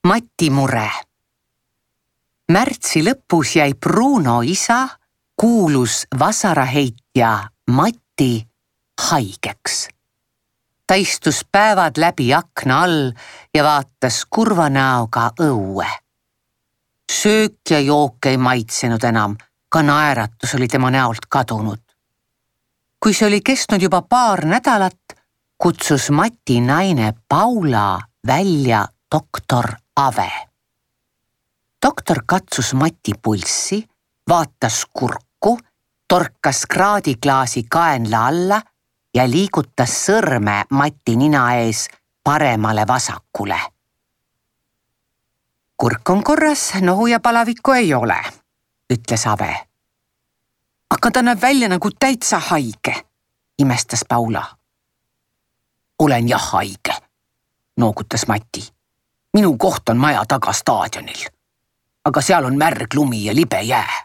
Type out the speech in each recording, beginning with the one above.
Mati mure. Märtsi lõpus jäi Bruno isa, kuulus vasaraheitja Mati, haigeks. Ta istus päevad läbi akna all ja vaatas kurva näoga õue. Söök ja jook ei maitsenud enam, ka naeratus oli tema näolt kadunud. Kui see oli kestnud juba paar nädalat, kutsus Mati naine Paula välja doktor Ave. Doktor katsus Mati pulssi, vaatas kurku, torkas kraadiklaasi kaenla alla ja liigutas sõrme Mati nina ees paremale vasakule. Kurk on korras, nohu ja palavikku ei ole, ütles Ave. Aga ta näeb välja nagu täitsa haige, imestas Paula. Olen jah haige, noogutas Mati. Minu koht on maja taga staadionil, aga seal on märg lumi ja libe jää.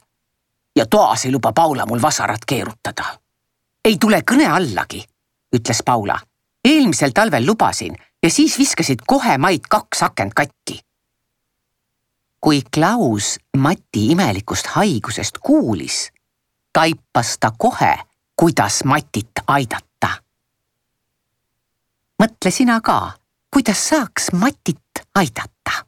Ja toas ei luba Paula mul vasarat keerutada. Ei tule kõne allagi, ütles Paula. Eelmisel talvel lubasin ja siis viskasid kohe maid 2 akent katki. Kui Klaus Mati imelikust haigusest kuulis, taipas ta kohe, kuidas Matit aidata. Mõtle sina ka, kuidas saaks Matit aidata.